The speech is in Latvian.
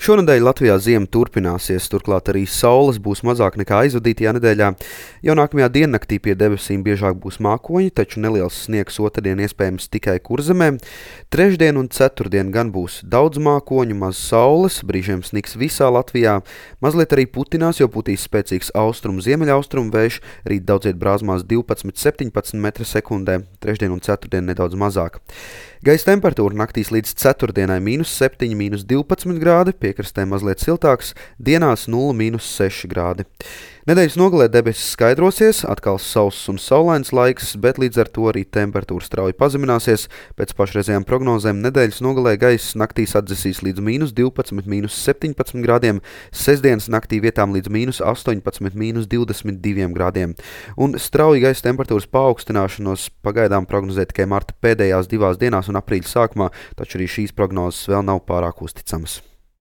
Šonedēļ Latvijā ziema turpināsies, turklāt arī saules būs mazāk nekā aizvadītajā nedēļā. Jau nākamajā diennaktī pie debesīm biežāk būs mākoņi, taču neliels sniegs otrdien iespējams tikai Kurzemē. Trešdien un ceturtdien gan būs daudz mākoņu, maz saules, brīžiem sniks visā Latvijā. Mazliet arī putinās, jo putīs spēcīgs austrumu-ziemeļaustrumu vējš, rīt daudziet brāzmās 12–17 m/sekundē, trešdien un ceturtdien nedaudz mazāk. Gaisa temperatūra naktīs līdz ceturtdienai -7, -12 grādi, piekrastē mazliet siltāks, dienās 0–6 grādi. Nedēļas nogalē debesis skaidrosies, atkal sauss un saulains laiks, bet līdz ar to arī temperatūra strauji pazemināsies. Pēc pašreizējām prognozēm nedēļas nogalē gaiss naktīs atdzesīs līdz -12, -17 grādiem, sestdienas naktī vietām līdz -18, -22 grādiem. Un strauji gaisa temperatūras paaugstināšanos pagaidām prognozē tikai marta pēdējās divās dienās un aprīļa sākumā, taču arī šīs prognozes vēl nav pārāk uzticamas.